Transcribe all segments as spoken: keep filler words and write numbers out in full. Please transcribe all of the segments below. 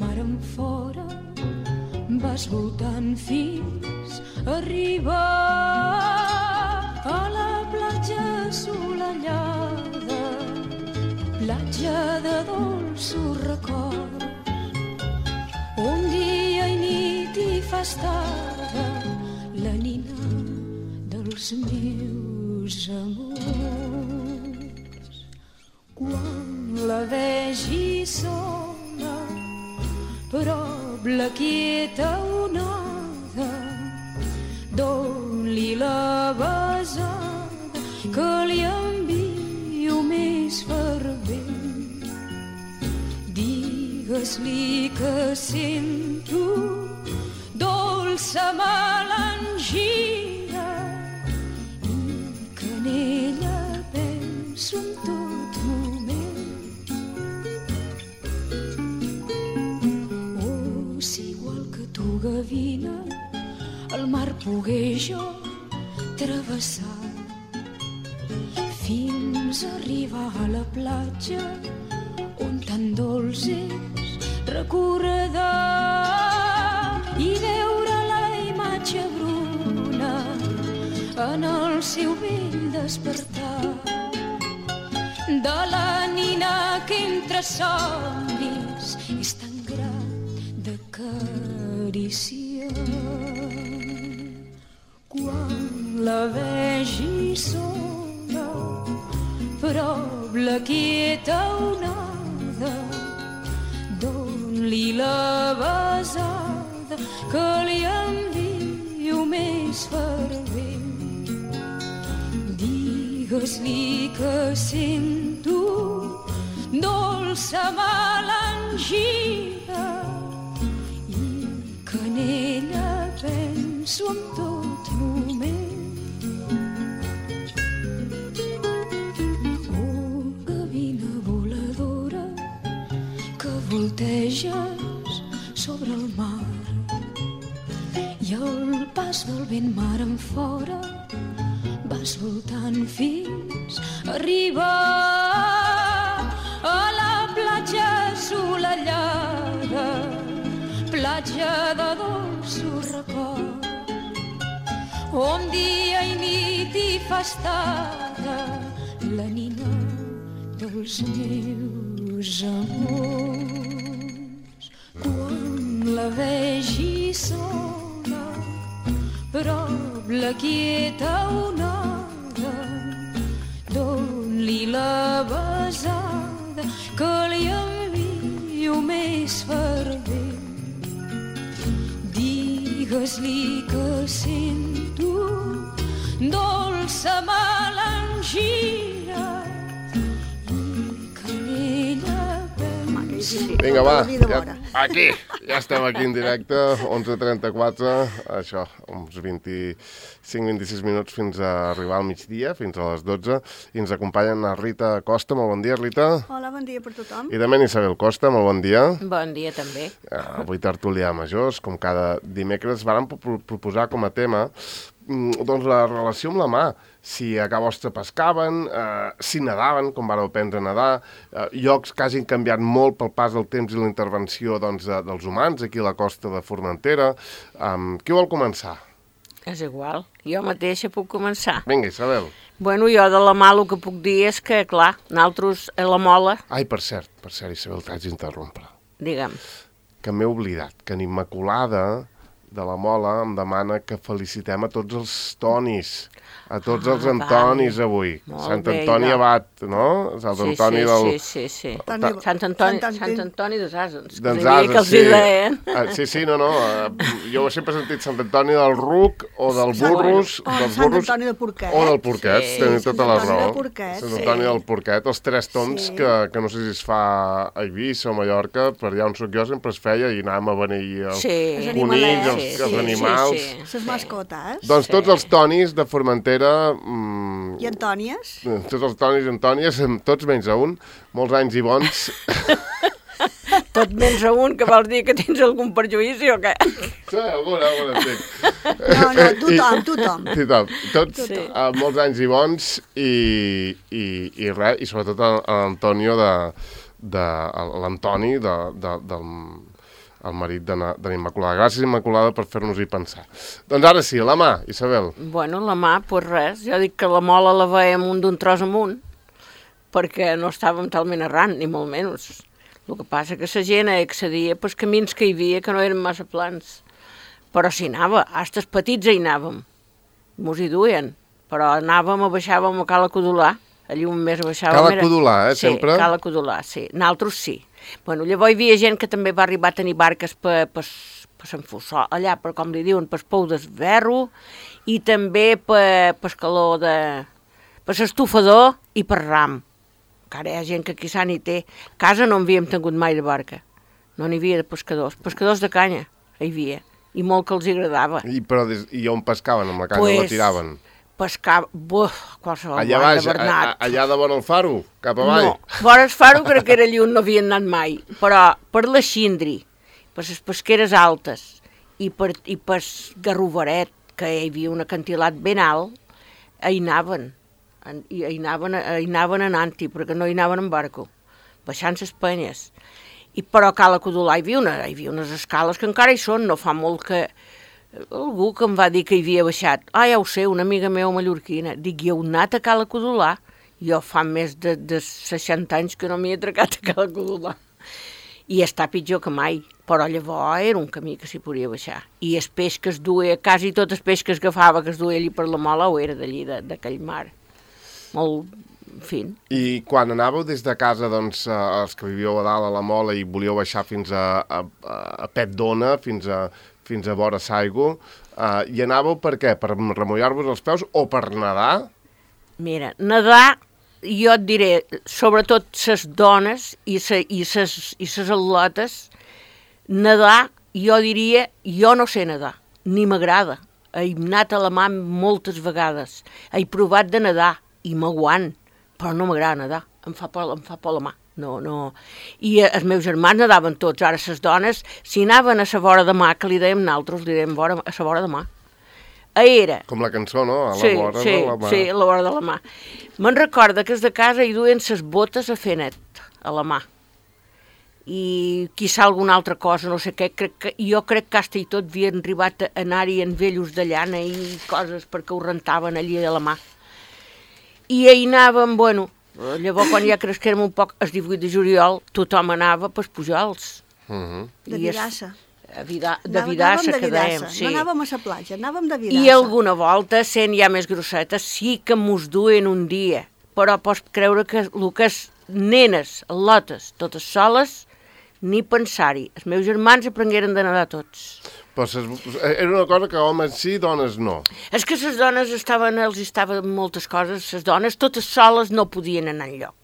mar enfora, vas voltant fins a arribar a la platja assolellada, platja de dolços records, on dia i nit hi fa estada la nina dels meus amors. Quan la vegi sola, prop la quieta onada, doni-li la besada que li envio més fervent. Digues-li que sento dolça melangia i que en ella penso en tot moment. Oh, si igual que tu, gavina, el mar pogué jo travessar fins a arribar a la platja on tan dolç és recordar i veure la imatge bruna en el seu vell despertar de la nina que entre somnis és tan grat d'acariciar. Quan la vegi sola, prop la quieta onada, doni-li la besada que li envio més fervent. Digues-li que sento dolça melangia i que en ella penso en tot moment. Oh, gavina voladora, que volteges sobre el mar i al pas del vent mar enfora vas voltant fins a arribar a la platja assolellada, platja de dolços records, on dia i nit hi fa estada la nina dels meus amors. Quan la vegi sola, prop la quieta onada, doni-li la besada que li envio més fervent. Digues-li que sento dolça melangia i que en ella penso. Vinga, va, ja, aquí, ja estem aquí en directe, onze trenta-quatre, això, uns vint-i-cinc vint-i-sis minuts fins a arribar al migdia, fins a les dotze, i ens acompanyen a Rita Costa. Molt bon dia, Rita. Hola, bon dia per tothom. I també en Isabel Costa, molt bon dia. Bon dia, també. Avui tertulià majors, com cada dimecres, vàrem proposar com a tema doncs la relació amb la mà, si a Ca Vostra pescaven, eh, si nadaven, com vareu aprendre a nedar, eh, llocs que hagin canviat molt pel pas del temps i la intervenció doncs, de, dels humans aquí a la costa de Formentera. Um, qui vol començar? És igual, jo mateixa puc començar. Vinga, Isabel. Bueno, jo de la mà el que puc dir és que, clar, nosaltres a la Mola... Ai, per cert, per cert, Isabel, t'haig d'interrompre. Digue'm. Que m'he oblidat, que en Immaculada de la Mola em demana que felicitem a tots els Tonis, a tots Ah, els Antonis vale. avui. Molt Sant bé, Antoni idò. Abat, no? Sant Sí, Antoni sí, del... sí, sí, sí. Toni- Sant Antoni, Sant Antoni- Sant Antoni dels Asens, que Dels sabia Ases, que els sí. hi deien. Ah, sí, sí, no, no. eh, Jo sempre he sentit Sant Antoni del Ruc o del Sant- Burros, o dels Sant Burros Antoni de Porquet. o del Porquet, Sí, teniu Sant tota la Antoni raó. de Porquet, Sant sí. Antoni del Porquet, els tres tons Sí. que, que no sé si es fa a Eivissa o a Mallorca, per allà on soc jo sempre es feia i anàvem a beneir els Sí. Els conills, els, animalets, els sí, animals. sí, sí. Les mascotes. Doncs Sí. tots els Tonis de Formentera, mm, I Antònies. tots els Tonis i Antònies, tots menys a un, molts anys i bons. Tot menys a un, que vols dir que tens algun perjuïci o què? Sí, alguna, alguna, sí. No, no, tothom, tothom. Tothom. Tots Sí. uh, molts anys i bons i, i, i res, i sobretot a, a l'Antonio de, de a l'Antoni de, de, del, el marit de na- de l'Immaculada. Gràcies, Immaculada, per fer-nos-hi pensar. Doncs ara sí, la mà, Isabel. Bueno, la mà, doncs res. Jo dic que la mola la veiem un d'un tros amunt, perquè no estàvem talment errant, ni molt menys. El que passa que la gent accedia pels camins que hi havia, que no eren massa plans. Però s'hi anava, hasta els petits hi anàvem. Mos hi duien, però anàvem, baixàvem a Cala Codolà, allí un mes baixàvem... Cala era... Codolà, eh, sí, sempre? Sí, Cala Codolà, sí. Nosaltres sí. Bueno, llavors hi havia gent que també va arribar a tenir barques per, per, per Sant Fossó, allà, per com li diuen, per Pou d'Esberro, i també per, per Escaló de... per l'Estufador i per Ram. Encara hi ha gent que aquí s'ha n'hi té. A casa no en havíem tingut mai de barca. No n'hi havia de pescadors. Pescadors de canya hi havia. I molt que els agradava. I, però des, I on pescaven? Amb la canya Pues, la tiraven? Pescava... Buf, qualsevol Allà guany baix, de a, Bernat. a, allà de vora el faro, cap avall? No, vora el faro crec que era lluny, no havien anat mai. Però per la Xindri, per les pesqueres altes i per, i per Garrovaret, que hi havia un acantilat ben alt, hi anaven. En, i hi anaven, hi anaven anant-hi, perquè no hi anaven en barco, baixant les penyes. I però a Cala Codolà hi havia, una, hi havia unes escales que encara hi són, no fa molt que... Algú que em va dir que hi havia baixat, ah, ja ho sé, una amiga meva mallorquina, dic, hi heu anat a Cala Codolà? Jo fa més de, de seixanta anys que no m'hi he atracat a Cala Codolà. I està pitjor que mai, però llavors era un camí que s'hi podia baixar. I el peix que es duia, quasi tot el peix que es agafava, que es duia allí per la mola, o era d'allí, d'aquell mar. Molt fin. I quan anàveu des de casa, doncs, eh, els que vivíeu a dalt a la Mola i volíeu baixar fins a, a, a Pet d'Ona, fins a, fins a vora Saigo, eh, hi anàveu per què? Per remullar-vos els peus o per nedar? Mira, nedar, jo et diré, sobretot les dones i ses i ses, i ses atletes, nedar, jo diria, jo no sé nedar, ni m'agrada. He anat a la mà moltes vegades, he provat de nedar, i m'aguant, però no m'agrada nedar, em fa por, em fa por la mà. No, no. I els meus germans nadaven tots, ara les dones, si anaven a la vora de mà, que li dèiem nosaltres, li dèiem vora, a la vora de mà. Era. Com la cançó, no? A la sí, vora sí, de la mà. Sí, a la vora de la mà. Me'n recorda que els de casa hi duien les botes a fer net, a la mà. I quizà alguna altra cosa, no sé què, crec que, jo crec que hasta i tot havien arribat a anar-hi en vellos de llana i coses perquè ho rentaven allí a la mà. I hi anàvem, bueno, llavors quan ja cresquérem un poc, el divuit de juliol, tothom anava pels Pujols. Uh -huh. De Vidassa. A Vida, de Vidassa, que dèiem, sí. No anàvem a la platja, anàvem de Vidassa. I alguna volta, sent ja més grossetes, sí que mos duien un dia, però pots creure que el que és nenes, al·lotes, totes soles, ni pensar-hi. Els meus germans aprengueren de nedar tots. Però ses, era una cosa que homes sí, dones no. És que les dones estaven, els estaven moltes coses, les dones totes soles no podien anar enlloc.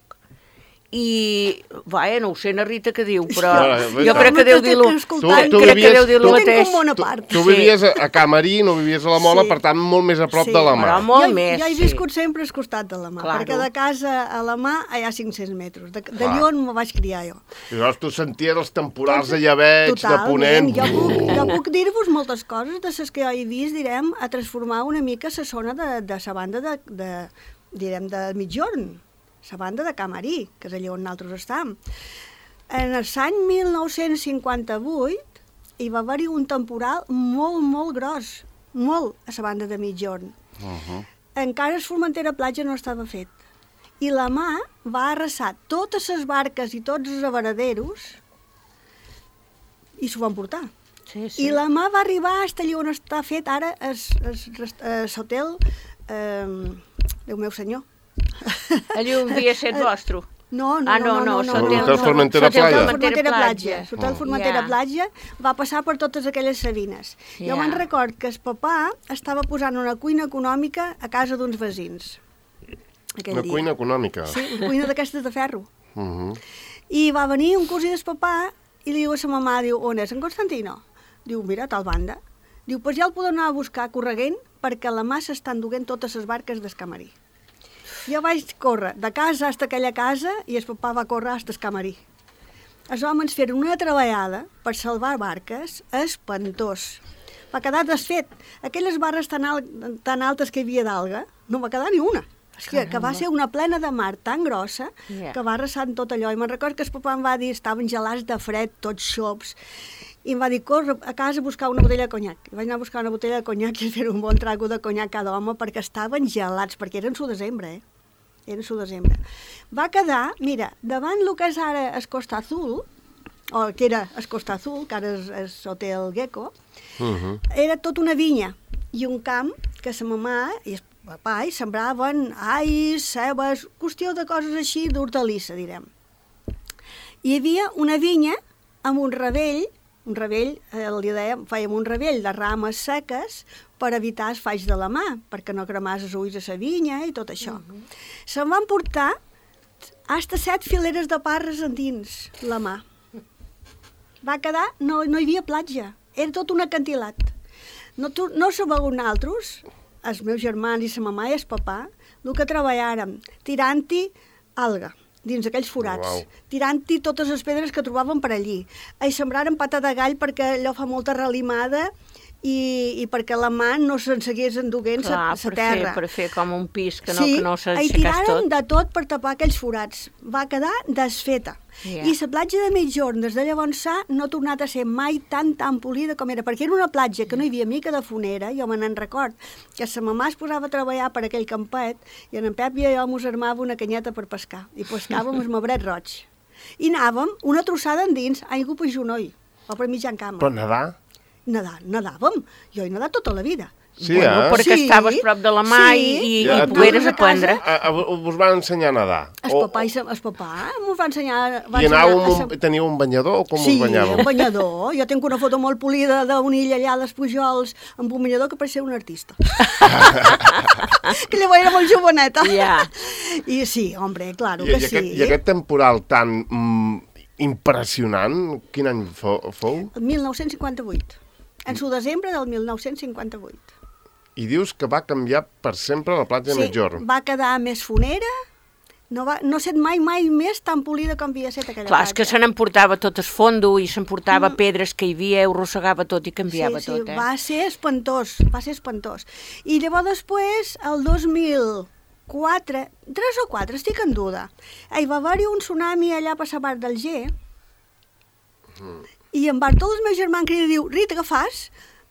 I, vaja, no ho sé, na Rita què diu, però No, jo crec que deu dir-lo, Tu- tu crec que vivies- deu dir-lo tu- mateix. Tinc un món a part. Tu Sí. vivies a, a Camarí, no vivies a la Mola, Sí. per tant, molt més a prop Sí. de la mà. Però molt jo, més, jo he sí. viscut sempre al costat de la mà, Claro. perquè de casa a la mà hi ha cinc-cents metres. De, de Clar. Lyon me vaig criar jo. I llavors tu senties els temporals de llebeig, de ponent... Jo puc, jo puc dir-vos moltes coses de les que jo he vist, direm, a transformar una mica la zona de, de la banda de, de, direm, de Mitjorn, la banda de Camarí, que és allà on nosaltres estem. En l'any mil nou-cents cinquanta-vuit hi va haver-hi un temporal molt, molt gros, molt, a la banda de Mitjorn. Uh-huh. Encara el Formentera Platja no estava fet. I la mà va arrasar totes les barques i tots els avaraderos i s'ho van portar. Sí, sí. I la mà va arribar fins allà on està fet ara l'hotel, eh, Déu meu senyor. Allí un dia set vostre. No, no, Ah, no, no, no, no, L'Hotel no, no. Formentera L'Hotel Platja. Formentera Platja. Platja. L'Hotel Oh. Formentera Ja. Platja va passar per totes aquelles sabines. Jo Ja. me'n record que el papà estava posant una cuina econòmica a casa d'uns veïns. Aquell Una dia. cuina econòmica. Sí, una cuina d'aquestes de ferro. Uh-huh. I va venir un cosí del papà i li diu a sa mamà, diu, on és en Constantino? Diu, mira, a tal banda. Diu, pues ja el podeu anar a buscar correguent perquè a la mà s'estan duent totes les barques del Camarí. Jo vaig córrer de casa fins a aquella casa i el papà va córrer fins al Camarí. Els homes feren una treballada per salvar barques espantós. Va quedar desfet. Aquelles barres tan, al, tan altes que hi havia d'alga, no va quedar ni una. Que, que va ser una plena de mar tan grossa Yeah. que va arrasant tot allò. I me'n record que el papà em va dir, estaven gelats de fred, tots xops, i em va dir, corre a casa a buscar una botella de conyac. I vaig anar a buscar una botella de conyac i fer un bon trago de conyac cada home perquè estaven gelats, perquè eren su desembre, eh? Era su desembre. Va quedar, mira, davant el que és ara el Costa Azul, o que era el Costa Azul, que ara és, és Hotel Gecko, Uh -huh. era tot una vinya i un camp que sa mamà i el papà hi sembraven ais, cebes, qüestió de coses així d'hortalissa, direm. Hi havia una vinya amb un ravell, un ravell, eh, li dèiem, fèiem un ravell de rames seques per evitar els falls de la mà, perquè no cremàs els ulls a sa vinya i tot això. Uh -huh. Se'n van portar hasta set fileres de parres endins la mà. Va quedar, no, no hi havia platja, era tot un acantilat. No, tu, no sabeu nosaltres, els meus germans i sa mamà i el papà, el que treballàrem, tirant-hi alga dins aquells forats, Uau. tirant-hi totes les pedres que trobàvem per allí. I sembràrem pata de gall perquè allò fa molta relimada i, i perquè la mà no se'n seguís enduguent Clar, sa per terra. fer, per fer com un pis que no, sí, que no i s'aixecàs tiraren tot. de tot per tapar aquells forats. Va quedar desfeta. Yeah. I la platja de Migjorn, des de llavors s'ha, no ha tornat a ser mai tan tan polida com era, perquè era una platja que no hi havia mica de fonera, jo me n'en record, que sa mamà es posava a treballar per aquell campet i en Pep i jo mos armava una canyeta per pescar, i pescàvem el mebret roig. I anàvem una trossada endins, aigua per genoll, o per mitjan cama. Però nedar? Nedar, nedàvem. Jo he nedat tota la vida. Sí, Bueno, eh? perquè Sí, estaves prop de la mà sí. i, i, Ja, i tu- pogueres a casa- aprendre. A, a, us van ensenyar a nedar? El O- papà, i sa- el papà mos va ensenyar... Va I anàveu, ensenyar a amb sa- un, teníeu un banyador o com Sí, us banyàveu? un banyador. Jo tinc una foto molt polida d'un illa allà a les Pujols amb un banyador que pareixia un artista. que llavors era molt joveneta. Ja. I sí, hombre, claro I, que i, sí. aquest, I aquest temporal tan mm, impressionant, quin any fou? fou? El mil nou-cents cinquanta-vuit. En su desembre del mil nou-cents cinquanta-vuit. I dius que va canviar per sempre la platja de Sí, Migjorn. va quedar més fonera, no, va, no ha set mai, mai més tan polida com havia set aquella Clar, és que platja. se n'emportava tot el fondo i s'emportava mm. pedres que hi havia, ho rossegava tot i canviava sí, sí, tot, eh? va ser espantós, va ser espantós. I llavors després, el dos mil quatre, tres o quatre, estic en duda, hi va haver-hi un tsunami allà per la part del G, Mm. i en Bartol, el meu germà, em crida i diu, Rita, què fas?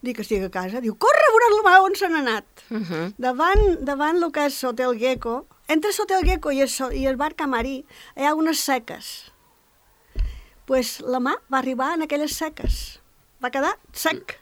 Dic que estic a casa. Diu, corre a veure la mà on se n'ha anat. Uh -huh. Davant, davant el que és Hotel Gecko, entre Hotel Gecko i el, so- i el bar Camarí, hi ha unes seques. Pues la mà va arribar en aquelles seques. Va quedar sec.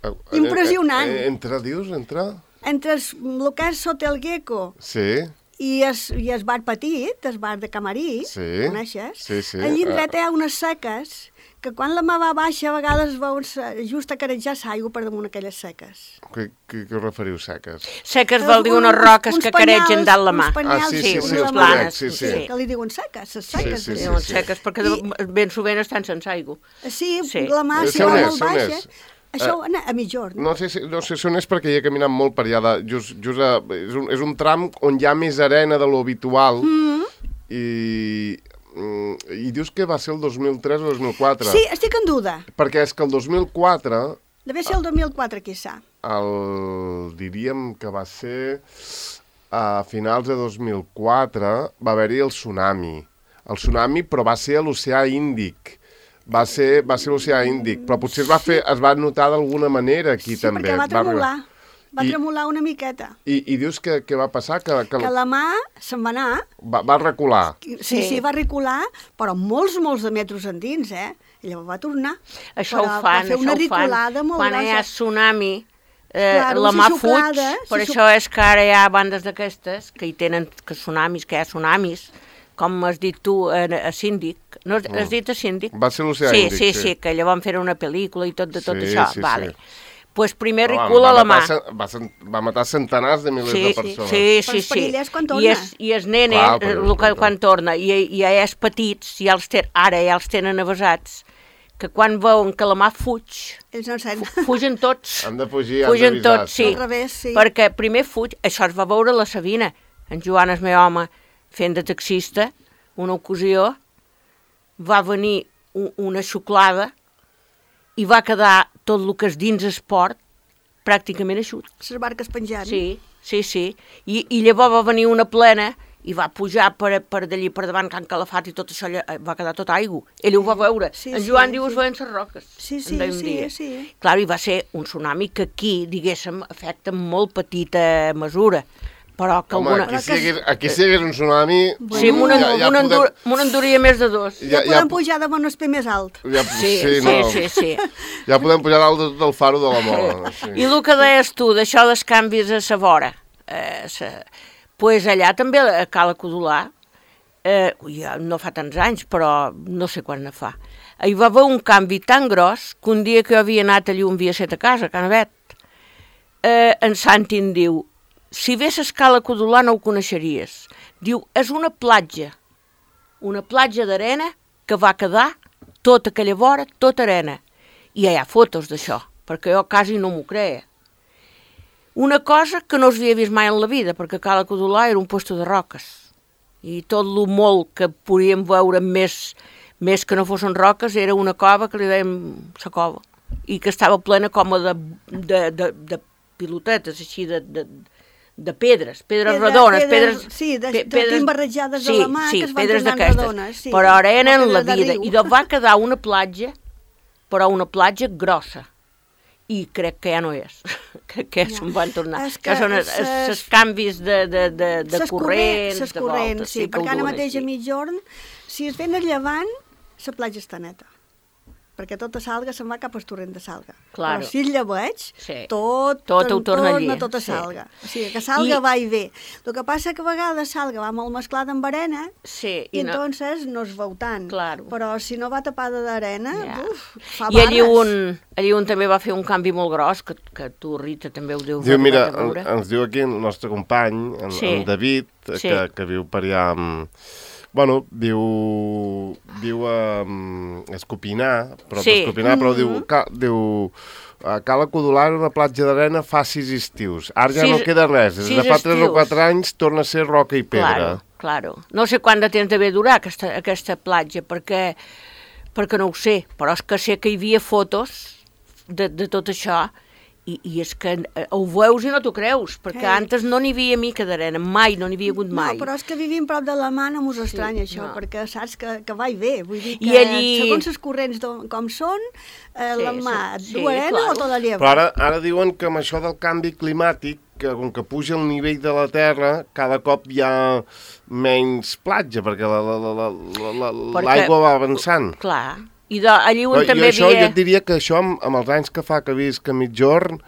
Eh, Impressionant. eh, Entre, dius, entre... Entre el, el que és Hotel Gecko Sí, i el, i el bar petit, el bar de Camarí, Sí, coneixes? sí, sí. Allí indret hi ha unes seques que quan la mà va baixa a vegades veus just a carejar l'aigua per damunt aquelles seques. què, què, què us referiu, seques? Seques vol dir unes roques que caregen dalt la mà. Uns penyals, Ah, sí, sí, unes sí, els planes, penyals, sí, sí. que li diuen seques, les seques. Sí, sí, Diuen sí. seques, perquè I- de- ben sovint estan sense aigua. Sí, Sí. la mà Eh, si sé on va és, molt sé on baixa. és. Això a Migjorn. No sé, si, no sé si on és perquè hi he caminat molt per allà. De, just, just a, és, un, és un tram on hi ha més arena de lo habitual. Mm. I, mm, I dius que va ser el dos mil tres o dos mil quatre. Sí, estic en duda. Perquè és que el dos mil quatre, Deve ser el dos mil quatre, quizà. el, diríem que va ser a finals de dos mil quatre, va haver-hi el tsunami. El tsunami, però va ser a l'oceà Índic. Va ser, va ser l'oceà Índic, però potser es va, fer, es va notar d'alguna manera aquí Sí, també. perquè va tremolar. Va I- tremolar una miqueta. I, i dius que, que va passar? Que, que, Que la mà se'n va anar. va, va recular. Sí, Sí. sí, va recular, però molts, molts de metres endins, eh? I llavors va tornar. Això però ho fan, va fer això una ho fan. ricolada molt Quan hi ha grossa. tsunami, eh, Claro, la si mà xuclada, fuig, per si això és que ara hi ha bandes d'aquestes que hi tenen que tsunamis, que hi ha tsunamis, com has dit tu a, a Síndic. No has, has dit a Síndic? Va ser l'oceà sí, Índic, sí, sí. sí, que allò van fer una pel·lícula i tot de tot Sí, això. sí, vale. sí. Pues primer Home, recula va la mà. matar cen- Va, cen- va matar centenars de milers Sí, de sí, persones. sí, Però sí, els perillers quan I torna. és, i és nene, Clar, eh, però el que, quan quan torna, i, i ja és petits, ja els ten, ara ja els tenen avasats, que quan veuen que la mà fuig, Ells no sent. fugen tots. Han de fugir, han Fugen d'avisar. tots, sí. Al revés, sí. Perquè primer fuig, això es va veure a la Sabina. En Joan, el meu home, fent de taxista, una ocasió, va venir un, una xuclada i va quedar tot el que és dins esport pràcticament eixut. Les barques penjant. Sí, sí, sí. I, i llavors va venir una plena i va pujar per, per d'allí per davant Can Calafat i tot això allà, va quedar tot aigua. Ell ho va veure. Sí, en sí, Joan diu sí. es veien les roques. Sí, sí, en deia un sí, dia. sí. Clar, i va ser un tsunami que aquí, diguéssim, afecta en molt petita mesura. Però que Home, alguna... aquí si hi hagués, aquí si hi hagués un tsunami... Sí, m'ho ja, ja endur, podem, enduria més de dos. Ja, ja podem pujar de Monesper més alt. Ja, Sí, sí, no. sí, sí. Ja podem pujar dalt del, del faro de la Mola. Sí. I el que deies tu, d'això dels canvis a sa vora, eh, sa... pues allà també a Cala Codolà, eh, ja no fa tants anys, però no sé quan ne fa, hi va haver un canvi tan gros que un dia que jo havia anat allà un dia set a casa, a Canavet, eh, en Santi em diu, si ves a Cala Codolà no ho coneixeries. Diu, és una platja, una platja d'arena que va quedar tota aquella vora, tota arena. I ja hi ha fotos d'això, perquè jo quasi no m'ho creia. Una cosa que no s'havia vist mai en la vida, perquè Cala Codolà era un posto de roques. I tot el molt que podíem veure més, més que no fossin roques era una cova que li dèiem la cova. I que estava plena com de, de, de, de pilotetes, així de, de, de pedres, pedres Pedra- redones, pedres- pedres... sí, de- pe- de pedres- barrejades de sí, la mà sí, que es van pedres tornant d'aquestes. redones, sí, Però ara eren com la pedres de vida. riu. I doncs va quedar una platja, però una platja grossa. I crec que ja no és, crec que ja Ja. se'n van tornar. És Que, que són els ses- canvis de, de, de, de Ses corrents, corrents, ses de corrents, voltes, sí, que ho perquè ara duen mateix així. a mitjorn, si es ven a llevant, la platja està neta. Perquè tota Salga se'n va cap al torrent de Salga. Claro. Però si el lleveig, Sí. tot, Tot ho torna allí, tota sí. Salga. O sigui, que Salga I- va i ve. El que passa que a vegades Salga va molt mesclada amb arena Sí, i, i no, entonces no es veu tant. Claro. Però si no va tapada d'arena, Ja. uf, fa I allí barres. un, allí un també va fer un canvi molt gros, que, que tu, Rita, també ho deus Diu, mira, arribar a veure. en, ens diu aquí el nostre company, en, Sí. en David, Sí. que, que viu per allà amb... Bueno, viu, viu a um, Escopinar, però Sí. Escopinar, però diu, ca, diu a Cala Codolà era una platja d'arena fa sis estius. Ara ja Sis- no queda res. Des sis de fa tres o estius. quatre anys torna a ser roca i pedra. Claro, claro. No sé quant de temps deve durar aquesta, aquesta platja, perquè, perquè no ho sé, però és que sé que hi havia fotos de, de tot això, i, i és que eh, ho veus i no t'ho creus, perquè Ei. antes no n'hi havia mica d'arena, mai, no n'hi havia hagut mai. No, però és que vivim prop de la mà no mos estranya Sí, això, no. perquè saps que, que va i ve. Vull dir que I allí- segons els corrents d'on- com són, eh, Sí, la mà sí, du sí, arena claro. o tota lleva. Però ara, ara diuen que amb això del canvi climàtic, que com que puja el nivell de la Terra, cada cop hi ha menys platja, perquè la- la- la- la- la- la- Perquè- l'aigua va avançant. Clar, i de, allí un Però també jo, això, havia... jo et diria que això, amb, amb els anys que fa que visc a mitjorn,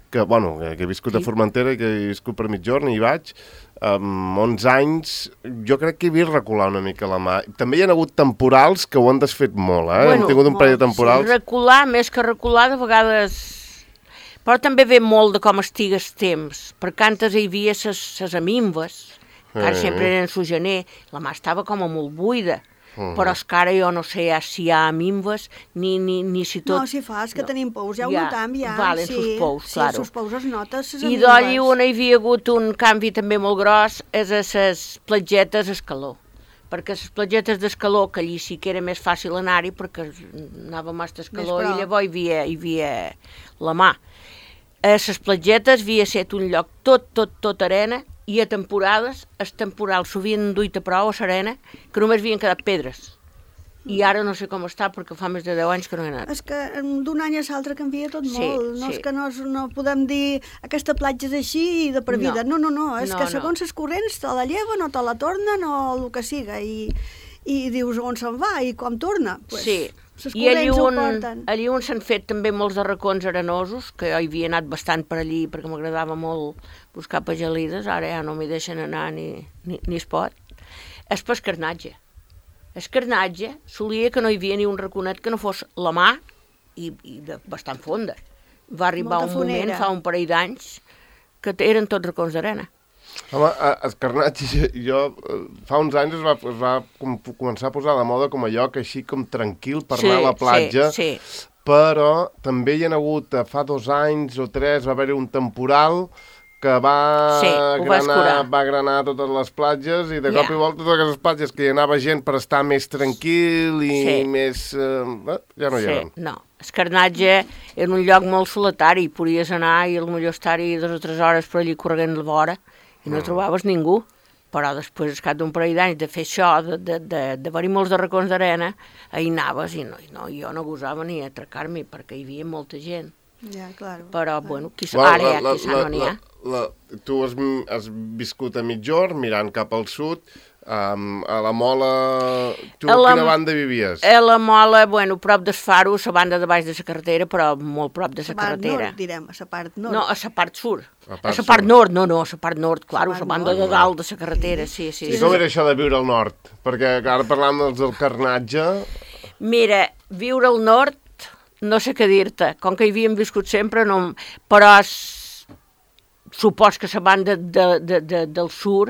que, bueno, que, que he viscut a Sí. Formentera i que he viscut per mitjorn i hi vaig, amb onze anys, jo crec que he vist recular una mica la mà. També hi ha hagut temporals que ho han desfet molt, eh? Bueno, Hem tingut un parell de molt, sí, temporals. Recular, més que recular, de vegades... Però també ve molt de com estigues temps, perquè antes hi havia ses, ses aminves, que ara Eh. sempre eren su gener, la mà estava com a molt buida, Mhm. però és que ara jo no sé ja si hi ha aminves, ni, ni, ni si tot... No, si fa, és que no. tenim pous, ja ho Ja, notam, ja. valen sí, sus pous, sí, claro. sus pous es nota, ses I amigues. d'allí on hi havia hagut un canvi també molt gros és a les platgetes escaló, perquè les platgetes d'escaló, que allí sí que era més fàcil anar-hi perquè anava massa escaló Més i prop. llavors hi havia, hi havia la mà. A les platgetes havia estat un lloc tot, tot, tot arena, i a temporades, els temporals s'havien duit a prou a l'arena, que només havien quedat pedres. I ara no sé com està, perquè fa més de deu anys que no he anat. És que em, d'un any a l'altre canvia tot Sí, molt. No sí. és que no, és- no podem dir aquesta platja és així i de per vida. No, no, no. És No, que no. segons els corrents te la lleven o te la tornen o el que siga. I, i dius on se'n va i com torna. Pues, Sí, ses i allí corrents ho on, porten. allí on s'han fet també molts de racons arenosos, que jo hi havia anat bastant per allí perquè m'agradava molt buscar pagelides, ara ja no m'hi deixen anar ni, ni, ni es pot, és pescarnatge. Escarnatge solia que no hi havia ni un raconet que no fos la mà i, i de bastant fonda. Va arribar Molta un moment, fonera. fa un parell d'anys, que eren tots racons d'arena. Home, a- Escarnatge, jo, jo eh, fa uns anys es va, es va com, començar a posar de moda com a lloc així com tranquil per anar a la platja, Sí, sí. però també hi ha hagut, eh, fa dos anys o tres, va haver-hi un temporal que va, Sí, ho va escurar. granar, va granar totes les platges i de Ja. cop i volta totes aquestes platges que hi anava gent per estar més tranquil i Sí. més... Eh, eh, ja no hi Sí, eren. no. Escarnatge era un lloc molt solitari, podies anar i potser estar-hi dues o tres hores per allí corregant la vora i no trobaves ningú. Però després, al cap d'un parell d'anys de fer això, d'haver-hi molts de racons d'arena, ahir anaves i no, no, jo no gosava ni atracar-m'hi perquè hi havia molta gent. Ja, clar. Però, bueno, quizà, ara ja, quizà no n'hi ha. La, tu has, has viscut a Migjorn, mirant cap al sud, um, a la Mola... Tu a, a quina banda vivies? A la Mola, bueno, prop del Faro, a la banda de baix de la carretera, però molt prop de la carretera. Nord, direm, a la part nord. No, a la part sud. A la part nord, no, no, a la part nord, clar, a la banda de dalt de la carretera, sí, sí. I com era això de viure al nord? Perquè ara parlam dels del carnatge... Mira, viure al nord, no sé què dir-te, com que hi havíem viscut sempre, no... però supos que la banda de, de, de, del sur,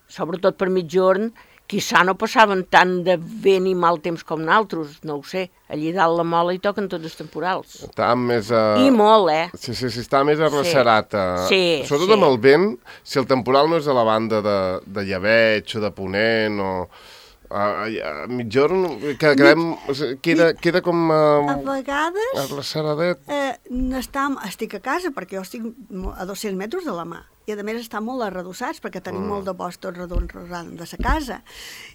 sobretot per Migjorn, quizà no passaven tant de bé ni mal temps com nosaltres, no ho sé. Allí dalt la Mola hi toquen tots els temporals. Estàvem més a... I molt, eh? Sí, sí, sí, està més arrecerat. Sí, sobretot sí. amb el vent, si el temporal no és a la banda de, de Llebeig o de Ponent o... A, a, a Migjorn que quedem, queda, queda com a, a vegades arreceradet. Eh, estam, estic a casa perquè jo estic a dos-cents metres de la mà i a més està molt arredossats perquè tenim mm. molt de bosc tot redons rosant de sa casa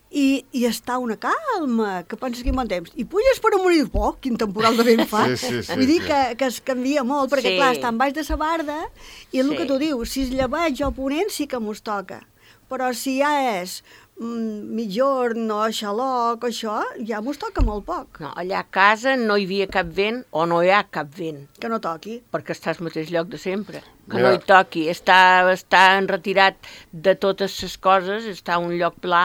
i, i està una calma que penses que hi bon temps i puges per amunt i dius, oh, quin temporal de vent fa. Sí, sí, sí, vull dir sí. que, que es canvia molt perquè sí. clar, està en baix de sa barda i el sí. que tu dius, si és llebeig o ponent sí que mos toca, però si ja és Migjorn o Xaloc, això, ja mos toca molt poc. No, allà a casa no hi havia cap vent o no hi ha cap vent. Que no toqui. Perquè està al mateix lloc de sempre. Que Mira. no hi toqui. Està, està enretirat de totes les coses, està a un lloc pla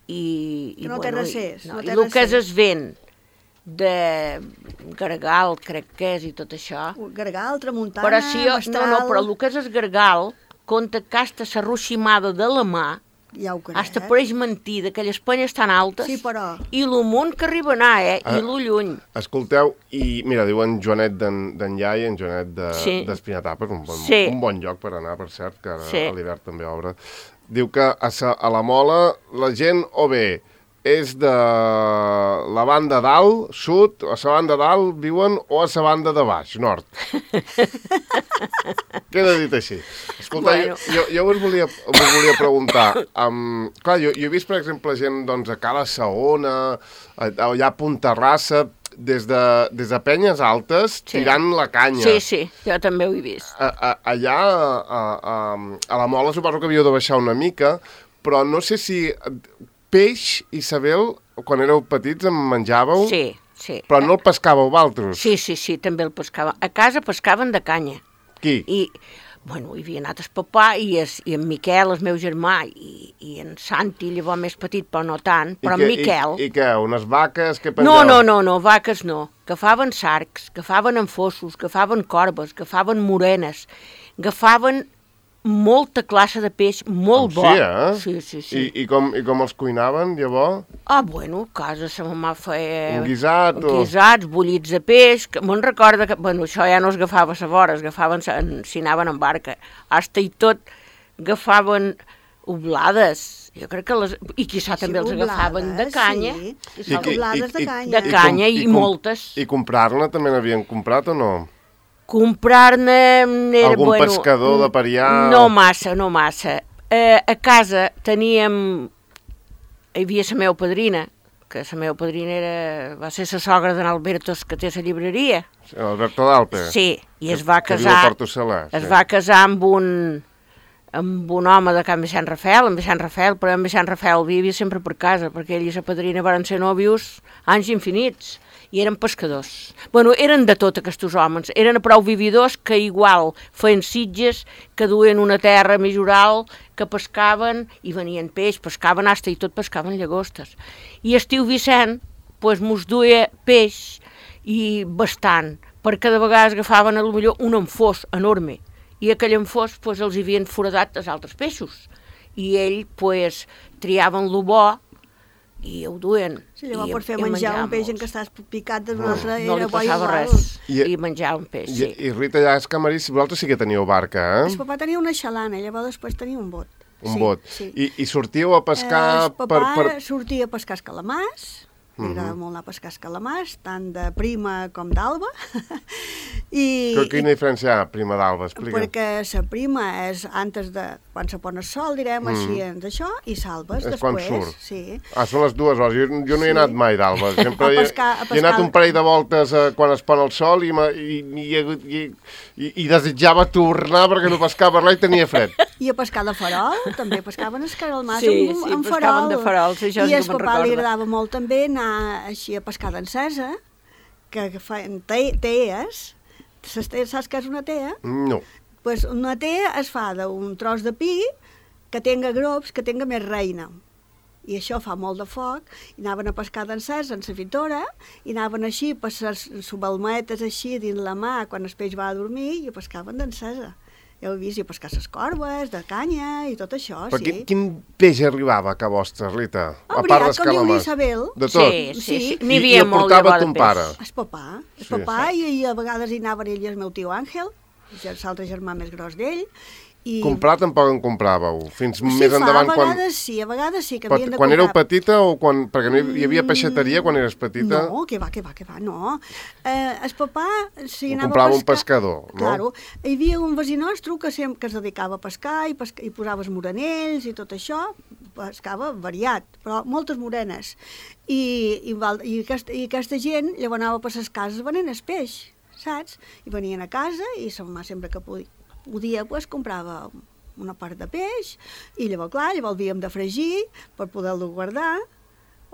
i... Que i no bueno, té recés. I, no, no i té el que és recés. el vent de Gargal, crec que és, i tot això. Gargal, tramuntana, però si jo, mestral... No, no, però el que és el Gargal, compte que hasta s'arroximada de la mà, ja ho crec. hasta pareix mentir, d'aquelles penyes tan altes, sí, però... i lo munt que arriba a anar, eh? Ah, I lo lluny. Escolteu, i mira, diuen Joanet d'en Llai, en Joanet d'Espinatapa, de, un, bon, sí. un bon lloc per anar, per cert, que ara sí. a l'hivern també obre. Diu que a, sa, a la Mola la gent o bé és de la banda dalt, sud, o a la banda dalt viuen, o a la banda de baix, nord. Queda dit així. Escolta, bueno. jo, jo us volia, us volia preguntar, um, clar, jo, jo he vist, per exemple, gent doncs, a Cala Saona, allà a Puntarrassa, des de, des de penyes altes, sí. tirant la canya. Sí, sí, jo també ho he vist. A, a, allà, a, a, a la Mola, suposo que havíeu de baixar una mica, però no sé si... Peix, Isabel, quan éreu petits en menjàveu? Sí, sí. Però no el pescàveu vosaltres? Sí, sí, sí, també el pescàvem. A casa pescaven de canya. Qui? I, bueno, hi havia anat el papà i, es, i en Miquel, el meu germà, i, i en Santi, llavors més petit, però no tant, però I que, en Miquel... I, I què, unes vaques que pengeu? No, no, no, no, vaques no. Agafaven sarcs, agafaven enfossos, agafaven corbes, agafaven morenes, agafaven... molta classe de peix, molt bo. Sí, eh? Sí, sí, sí. I, i, com, I com els cuinaven, llavors? Ah, bueno, a casa sa mamà feia... Un guisat o... Guisats, bullits de peix, que me'n recorda que... Bueno, això ja no es agafava a la vora, es agafaven, s'hi anaven en barca. Hasta i tot agafaven oblades. Jo crec que les... I quizà sí, també els agafaven de canya. Sí, I, oblades de canya. De canya i, i, i moltes. I comprar-ne també n'havien comprat o no? Comprar-ne... Algun bueno, pescador de Parià? No massa, no massa. Eh, a casa teníem... Hi havia la meva padrina, que la meva padrina era, va ser la sogra d'en Albertos, que té la llibreria. Alberto d'Alpe? Sí, i es va que, casar... Que viu a Porto Salà. Es sí. va casar amb un, amb un home de Can Vicent Rafael, en Vicent Rafael, però en Vicent Rafael vivia sempre per casa, perquè ell i la padrina van ser nòvios anys infinits. I eren pescadors. Bueno, eren de tot aquests homes. Eren prou vividors que igual feien sitges, que duien una terra més oral, que pescaven i venien peix, pescaven hasta i tot pescaven llagostes. I estiu Vicent, pues, mos duia peix i bastant, perquè de vegades agafaven a lo millor un enfós enorme i aquell enfós pues, els havien foradat els altres peixos. I ell pues, triaven lo bo i ho duien. Sí, llavors per fer menjar un peix en què estàs picat de una altra no, era no bo li passava igual. res. I, I menjar un peix, i, sí. I Rita, ja és camarí, si vosaltres sí que teníeu barca, eh? El papà tenia una xalana, llavors després tenia un bot. Un sí, bot. Sí. I, I sortíeu a pescar... Eh, el papà per, per... sortia a pescar els calamars, M'agrada molt anar a pescar escalamars, tant de prima com d'alba. I, Quina diferència hi ha, prima d'alba? Explica. Perquè la prima és antes de, quan se pon el sol, direm, mm. així, d'això, i salves és després. quan surt. Sí. Ah, són les dues hores. Jo, jo no hi he Sí. anat mai d'alba. Sempre A pescar- a he, he anat pescar- un parell de voltes eh, quan es pon el sol i, m'ha- i, i, i, i, i desitjava tornar perquè no pescava res i tenia fred. I a pescar de farol, també pescaven escaralmars Sí, amb, sí, amb pescaven farol. de farol, sí, això I sí que al me'n papà li recordo. agradava molt també anar així a pescar d'encesa, que feien te tees. Ses tees, saps què és una tea? No. Pues una tea es fa d'un tros de pi que tenga grops, que tenga més reina. I això fa molt de foc, i anaven a pescar d'encès en la fitora, i anaven així, per les subalmetes així dins la mà, quan el peix va a dormir, i pescaven d'encesa. Ja ho he vist, i a pescar les corbes, de canya, i tot això, Però sí. quin, quin peix arribava a ca vostra, Rita? Ah, a part veritat, com diu d'escalamars. l'Isabel. De tot? Sí, sí, sí. Sí. N'hi I, i havia el molt portava llavors ton de pare. peix. El papà, el Sí, papà, i, i a vegades hi anaven ell i el meu tio Àngel, l'altre germà més gros d'ell. I... Comprar tampoc en compràveu, fins Sí, més fa, endavant. a Quan, vegades sí, a vegades sí, que quan, havien de quan comprar. éreu petita o quan... Perquè no hi, hi havia peixateria quan eres petita? No, que va, que va, que va, no. Eh, el papà, si Ho anava comprava a un pescar... pescador, no? Claro. Hi havia un veí nostre que, sem que es dedicava a pescar i, pesca i posava els morenells i tot això, pescava variat, però moltes morenes. I, i, val, i, aquesta, i aquesta gent llavors anava per les cases venent el peix, saps? I venien a casa i sa mamà sempre que podia, podia pues, comprava una part de peix, i llavors, clar, llavors havíem de fregir per poder-lo guardar,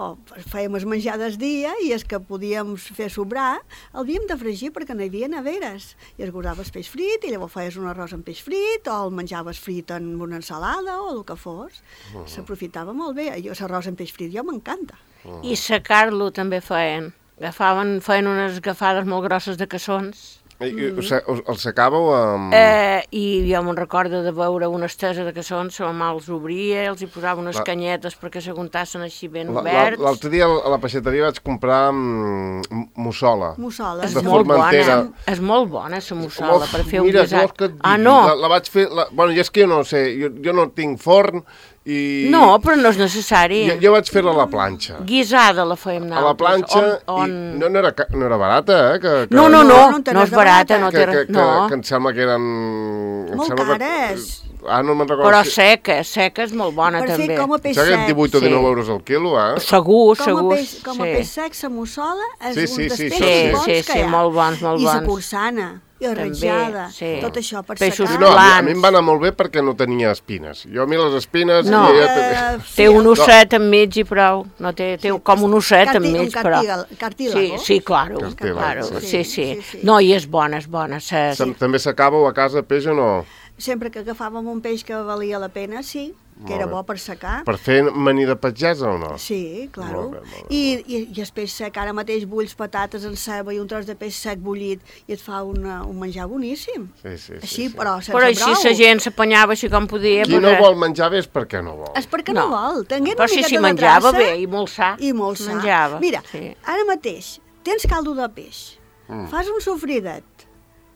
o fèiem els menjar del dia i els que podíem fer sobrar, el havíem de fregir perquè no hi havia neveres. I es guardaves peix frit, i llavors feies un arròs amb peix frit, o el menjaves frit en una ensalada, o el que fos. Uh -huh. S'aprofitava molt bé. Jo, l'arròs amb peix frit, jo m'encanta. Uh -huh. I secar-lo també feien. Agafaven, feien unes agafades molt grosses de caçons. I, i, o sigui, el secàveu amb... Eh, I jo me'n recordo de veure una estesa de caçons, la mamà els obria, els hi posava unes La- canyetes perquè s'aguntassin així ben La- la- oberts. L'altre dia a la peixateria vaig comprar mm, mussola. Mussola. És de molt Formentera. bona, és molt bona, la mussola, Uf, per fer un mira, guisat. vols que et Ah, digui? no? La, la vaig fer... La, bueno, jo és que jo no sé, jo, jo no tinc forn i... No, però no és necessari. Jo, jo vaig fer-la a la planxa. Guisada la fèiem A nosaltres. la planxa, On, on... i no, no, era, ca- no era barata, eh? Que, que, No, no, no, No, no té no res és de barata, barata. no que, té que, res... que, No, que em sembla que eren... em Molt sembla que- cares. Ah, no me'n recordo. però si- seca, seca és molt bona Per també. fer com a em peix sembla que sec. eren divuit o Sí. dinou euros al quilo, eh? Segur, Com a segur. peix, com a sí. peix sec, la mussola és Sí, un sí, dels sí, peixos sí, bons sí, que sí, hi ha. molt bons, molt I la bons. porçana, i la També, ratllada, sí. tot això per Peixos Sí, secar. no, a mi, a Plans. mi em va anar molt bé perquè no tenia espines. Jo a mi les espines... No. Ja, ja, Eh, Té sí, un osset enmig i prou. No té, té Sí, com un osset carti- enmig, un però... cartígal- cartílago. Sí, sí, claro, Cartílago, claro. sí. Sí, sí. Sí, sí. No, i és bona, és bona. Sí. Tam- També s'acabeu a casa peix o no? Sempre que agafàvem un peix que valia la pena, sí, que Molt era bé. bo per secar. Per fer maní de pagesa o no? Sí, claro. Molt bé, molt bé, I, i, I el peix sec, ara mateix bulls patates en ceba i un tros de peix sec bullit i et fa una, un menjar boníssim. Sí, sí, sí, Així, sí. però sense Però així brou. la gent s'apanyava així com podia. Qui no perquè- vol menjar bé és perquè no vol. És perquè no, No. vol. Tenguent Però una sí, miqueta sí, de menjava traça bé i molt sa. I molt sa. Menjava, Mira, sí. ara mateix tens caldo de peix, Mm. fas un sofridet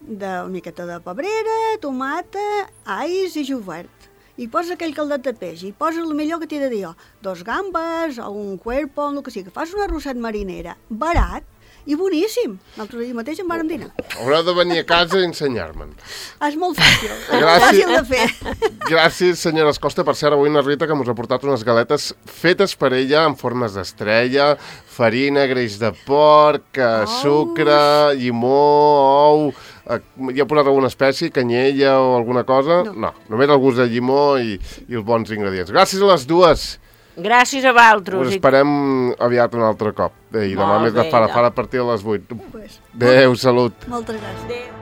de una miqueta de pebrera, tomata, ais i jovert. I poses aquell caldet de peix i poses el millor que t'he de dir jo, dos gambes o un cuerpo, el que sigui. Fas una rosset marinera, barat i boníssim. L'altre dia mateix en vàrem dinar. Haureu de venir a casa i ensenyar-me'n. És molt fàcil, és molt Gràcies. fàcil de fer. Gràcies, senyora Escosta. Per cert, avui na Rita que mos ha portat unes galetes fetes per ella en formes d'estrella, farina, greix de porc, oh. sucre, llimó, ou... Eh, hi ha posat alguna espècie, canyella o alguna cosa? No. no només el gust de llimó i, i els bons ingredients. Gràcies a les dues. Gràcies a vosaltres. Us esperem aviat un altre cop. Eh, I demà Molt més de bé, fara, doncs. fara a partir de les vuit. Pues, Adéu, salut. moltes gràcies. Adéu.